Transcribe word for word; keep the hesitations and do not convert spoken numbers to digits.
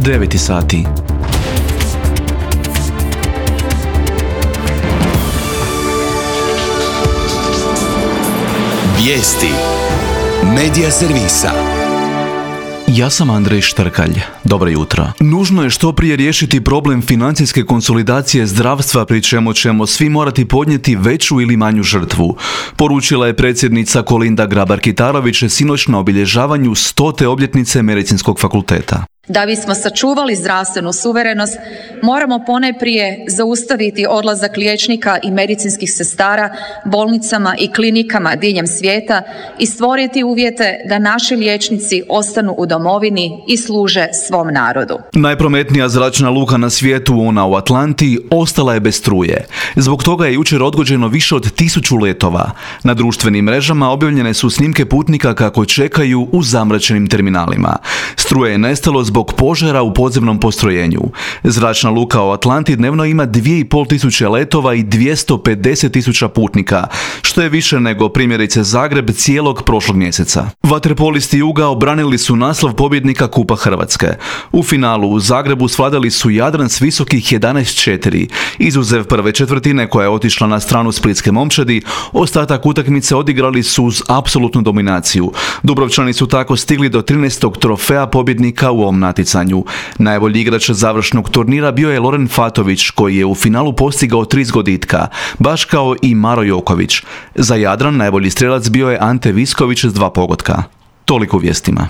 Deveti sati. Vijesti Medija servisa. Ja sam Andrej Štrkalj. Dobro jutro. Nužno je što prije riješiti problem financijske konsolidacije zdravstva, pri čemu ćemo svi morati podnijeti veću ili manju žrtvu, poručila je predsjednica Kolinda Grabar-Kitarović sinoć na obilježavanju stote obljetnice Medicinskog fakulteta. Da bismo sačuvali zdravstvenu suverenost, moramo ponajprije zaustaviti odlazak liječnika i medicinskih sestara bolnicama i klinikama diljem svijeta i stvoriti uvjete da naši liječnici ostanu u domovini i služe svom narodu. Najprometnija zračna luka na svijetu, ona u Atlanti, ostala je bez struje. Zbog toga je jučer odgođeno više od tisuću letova. Na društvenim mrežama objavljene su snimke putnika kako čekaju u zamračenim terminalima. Struje je nestalo zbog požara u podzemnom postrojenju. Zračna luka u Atlanti dnevno ima dvije i pol tisuće letova i dvjesto pedeset tisuća putnika, što je više nego primjerice Zagreb cijelog prošlog mjeseca. Vaterpolisti Juga obranili su naslov pobjednika Kupa Hrvatske. U finalu u Zagrebu svladali su Jadran s visokih jedanaest četiri. Izuzev prve četvrtine koja je otišla na stranu splitske momčadi, ostatak utakmice odigrali su uz apsolutnu dominaciju. Dubrovčani su tako stigli do trinaestog trofeja pobjednika u ovom natjecanju. Najbolji igrač završnog turnira bio je Loren Fatović, koji je u finalu postigao tri zgoditka, baš kao i Maro Joković. Za Jadran najbolji strelac bio je Ante Visković s dva pogotka. Toliko u vijestima.